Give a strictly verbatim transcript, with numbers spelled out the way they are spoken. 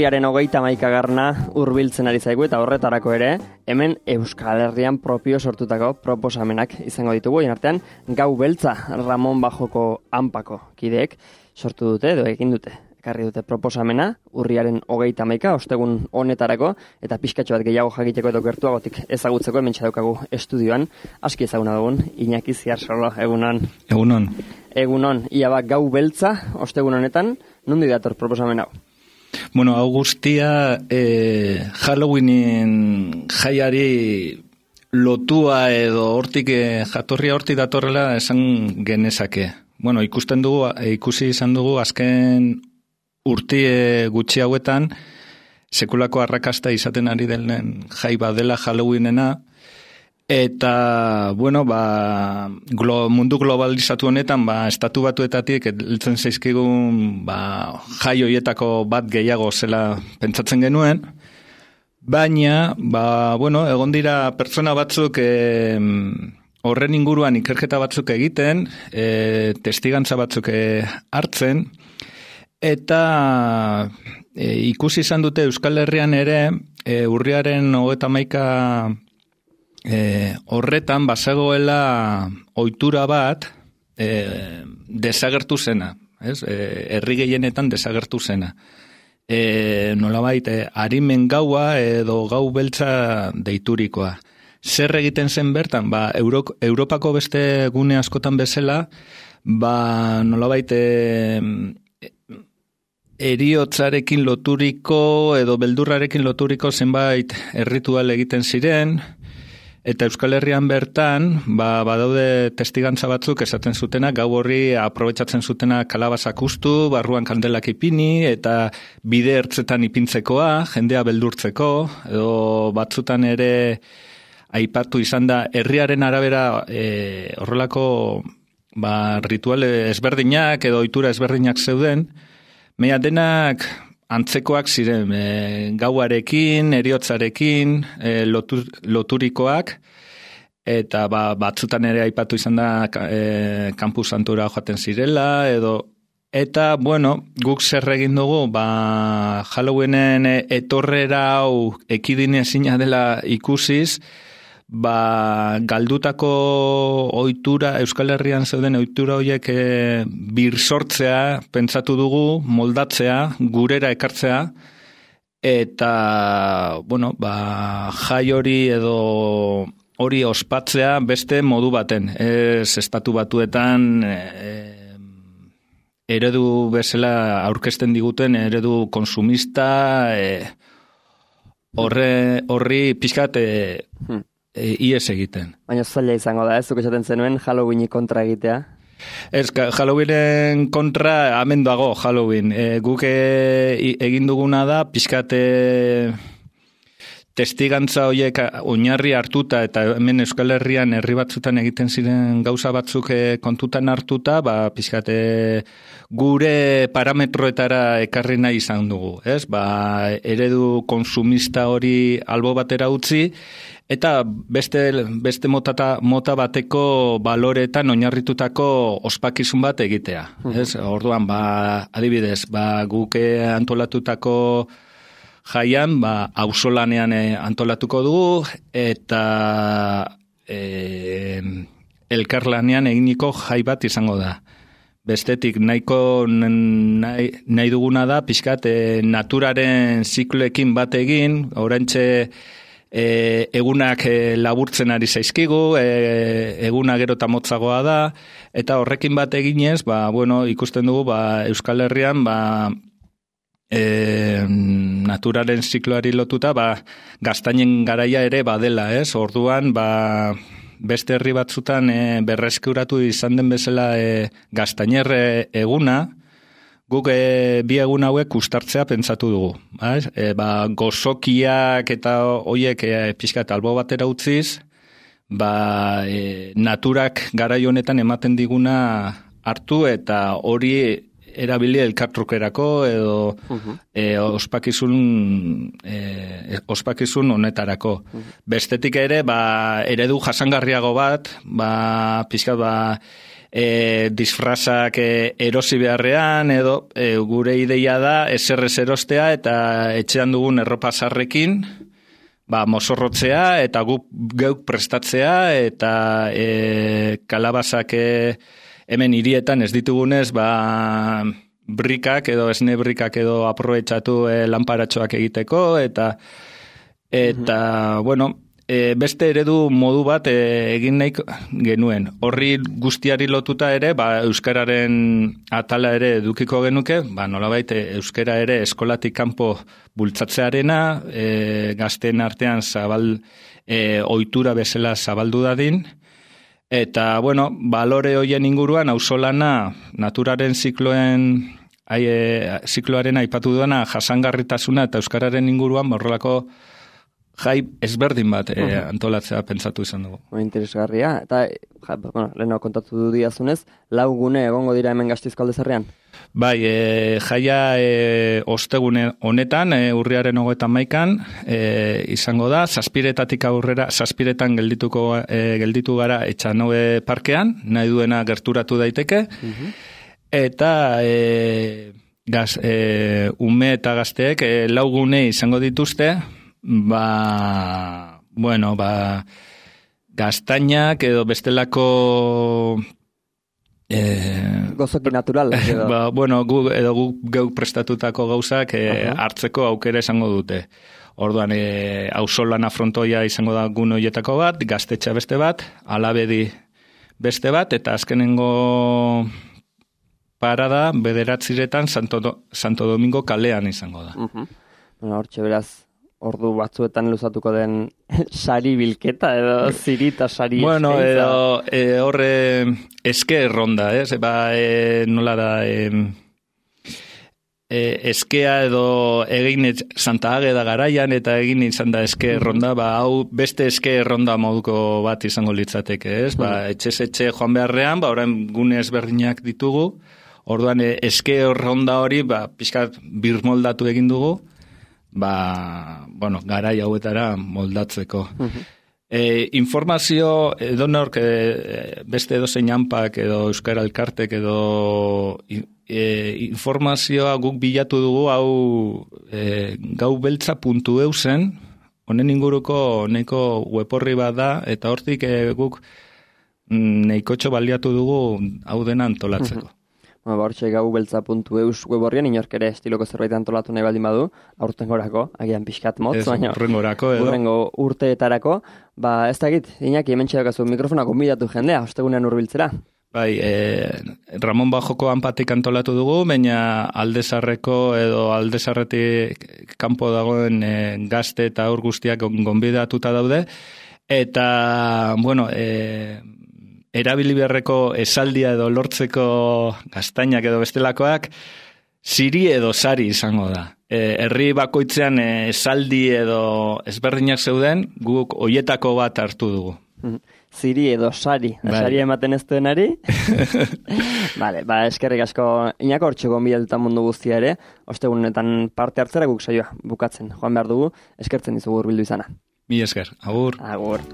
urriaren hogeita hamaikagarrena hurbiltzen ari zaigu eta horretarako ere, hemen Euskal Herrian propio sortutako proposamenak izango ditugu. Hien artean, Gau Beltza Ramon Bajoko Anpako kideek sortu dute edo egin dute. Ekarri dute proposamena, urriaren hogeita hamaika, ostegun honetarako, eta pixkatxo bat gehiago jakiteko edo gertuagotik ezagutzeko, hemen txadaukagu estudioan, aski ezaguna dugun, Iñaki Ziarsolo, egunon. Egunon. Egunon, ia bat Gau Beltza, ostegun honetan, nondi dator proposamen hau? Bueno, hau guztia eh, Halloweenin jaiari lotua edo hortik eh, jatorria hortik datorrela esan genezake. Bueno, ikusten dugu, ikusi izan dugu azken urtie gutxi hauetan sekulako arrakasta izaten ari den jai badela Halloweenena, eta bueno, ba, glo, mundu globalizatu honetan ba, estatu batuetatik heltzen zaizkigun ba, jai hoietako bat gehiago zela pentsatzen genuen, baina ba, bueno, egon dira pertsona batzuk eh, horren inguruan ikerketa batzuk egiten, e, testigantza batzuk e, hartzen, eta e, ikusi izan dute Euskal Herrian ere, e, urriaren hogeita hamaika e, horretan bazegoela ohitura bat e, desagertu zena, ez? E, herri gehienetan desagertu zena. E, nolabait, e, arimen gaua edo Gau Beltza deiturikoa. Zer egiten zen bertan? Ba, Euro, Europako beste gune askotan bezala, ba, nolabait, e, eriotzarekin loturiko edo beldurrarekin loturiko zenbait erritual egiten ziren, eta Euskal Herrian bertan, ba, badaude testigantza batzuk esaten zutena, gau horri aprobetxatzen zutena kalabazak ustu, barruan kandelak ipini, eta bide ertzetan ipintzekoa, jendea beldurtzeko, edo batzutan ere aipatu izan da, herriaren arabera e, horrelako ba, ritual ezberdinak edo ohitura ezberdinak zeuden, meia denak antzekoak ziren, e, gauarekin, eriotzarekin, e, lotur, loturikoak, eta ba, batzutan ere aipatu izan da e, Campus Santura joaten zirela, edo eta, bueno, guk zer egin dugu, ba, Halloweenen etorrera hau ekidin ezina dela ikusiz, ba, galdutako ohitura, Euskal Herrian zeuden ohitura horiek e, birsortzea, pentsatu dugu, moldatzea, gurera ekartzea, eta, bueno, ba, jai hori edo hori ospatzea beste modu baten. Ez estatu batuetan e, eredu bezala aurkezten diguten, eredu konsumista, e, horre, horri pixkat e, hmm. E, ies egiten. Baina zaila izango da, ez zuk esaten zenuen Halloweeni kontra egitea? Ez, Halloweenen kontra hemen dago Halloween. E, guk e, egin duguna da, pixkat e, testigantza horiek oinarri hartuta, eta hemen Euskal Herrian herri batzutan egiten ziren gauza batzuk e, kontutan hartuta, ba, pixkat e, gure parametroetara ekarri nahi izan dugu. Ez? Ba, eredu konsumista hori albo batera utzi, eta beste, beste motata, mota bateko baloretan oinarritutako ospakizun bat egitea. Ez? Orduan, ba, adibidez, ba, guke antolatutako jaian, ba, auzolanean antolatuko dugu, eta e, elkarlanean eginiko jai bat izango da. Bestetik, nahiko nahi, nahi duguna da, pixkat, e, naturaren zikloekin bat egin, oraintxe E, egunak e, laburtzen ari zaizkigu, e, eguna gero eta motzagoa da, eta horrekin bat eginez, ba, bueno, ikusten dugu, ba, Euskal Herrian, ba, e, naturaren zikloari lotuta, ba, gaztainen garaia ere badela, ez? Orduan, ba, beste herri batzutan e, berreskuratu izan den bezala e, gaztainer eguna, guk e, bi egun hauek ustartzea pentsatu dugu. E, ba, gozokiak eta hoiek e, pixka eta albo batera utziz, ba, e, naturak garai honetan ematen diguna hartu eta hori erabili elkartrukerako edo uh-huh. e, ospakizun e, ospakizun honetarako. Uh-huh. Bestetik ere, ba, eredu jasangarriago bat, ba, pixka ba, e, disfrazak e, erosi beharrean, edo e, gure ideia da eserrez erostea eta etxean dugun erropa zarrekin, ba, mozorrotzea eta guk geuk prestatzea eta e, kalabazak e, hemen hirietan ez ditugunez, ba, brikak edo esne brikak edo aprobetxatu e, lanparatxoak egiteko eta eta, mm-hmm. bueno, e, beste eredu modu bat e, egin nahi genuen. Horri guztiari lotuta ere, ba, euskararen atala ere edukiko genuke, ba, nolabait euskara ere eskolatik kanpo bultzatzearena, e, gazteen artean zabal, e, ohitura bezala zabaldu dadin, eta, bueno, balore hoien inguruan, auzolana, naturaren zikloen, ai, e, zikloaren aipatu duena, jasangarritasuna eta euskararen inguruan, horrelako jai ezberdin bat e, uh-huh. antolatzea pentsatu izan dugu. Interesgarria, eta, ja, bueno, leheno kontatu du diazunez, lau gune egongo dira hemen Gasteizko Aldezarrean? Bai, e, jaia e, ostegune honetan, e, urriaren hogeita hamaikan, e, izango da, zazpiretatik aurrera, zazpiretan geldituko, e, gelditu gara Etxanoe parkean, nahi duena gerturatu daiteke, uh-huh. eta e, gaz, e, ume eta gazteek e, lau gune izango dituzte, ba, bueno, ba, gaztainak edo bestelako eh, gozoki natural. Edo. Ba, bueno, gu, edo gu geuk prestatutako gauzak eh, uh-huh. hartzeko aukera izango dute. Orduan, eh, auzolana frontoia izango da gun horietako bat, gaztetxa beste bat, alabedi beste bat, eta azkenengo parada bederatziretan Santo, Santo Domingo kalean izango da. Uh-huh. Bueno, hortxe beraz, ordu batzuetan luzatuko den sari bilketa edo zirita sari bueno, eskaintza. Bueno, edo e, horre eske erronda, ez? Ba, e, nola da, e, e, eskea edo egin Santa Ageda garaian eta egin izan da eske erronda, ba, hau beste eske erronda moduko bat izango litzateke, ez? Ba, etxez etxe joan beharrean, ba, orain gune ezberdinak ditugu, orduan e, eske erronda hori, ba, pixkat birmoldatu egin dugu, ba, bueno, garai hauetara moldatzeko. Uh-huh. E, informazio, edo nork, e, beste edo zein hanpak edo Euskara Elkartek edo e, informazioa guk bilatu dugu hau e, gaubeltza puntu eu zen, honen inguruko neko web-orri bat da, eta hortik e, guk neikotxo baliatu dugu hau dena antolatzeko. Uh-huh. Bueno, ba, hortxe gaubeltza puntu eus web horrian, inork ere estiloko zerbait antolatu nahi baldin badu, aurtengorako, agian pixkat motz, baina urrengorako edo. Urrengo urteetarako, ba, ez da egit, Iñaki, hemen txedakazu mikrofona konbidatu jendea, ostegunean hurbiltzera. Bai, e, Ramon Bajoko hanpatik antolatu dugu, baina Aldezarreko edo Aldezarretik kanpo dagoen e, gazte eta aur guztiak gonbidatuta daude, eta, bueno, e, erabili beharreko esaldia edo lortzeko gaztainak edo bestelakoak, ziri edo sari izango da. E, herri bakoitzean e, esaldi edo ezberdinak zeuden, guk hoietako bat hartu dugu. Ziri edo sari, bai. Sari ematen ez duenari. Vale, ba, eskerrik asko Iñako hortxe gonbidatuta mundu guztia ere, ostegunetan parte hartzera guk saioa bukatzen. Joan behar dugu, eskertzen dizugu hurbildu izana. Mi esker, agur. Agur.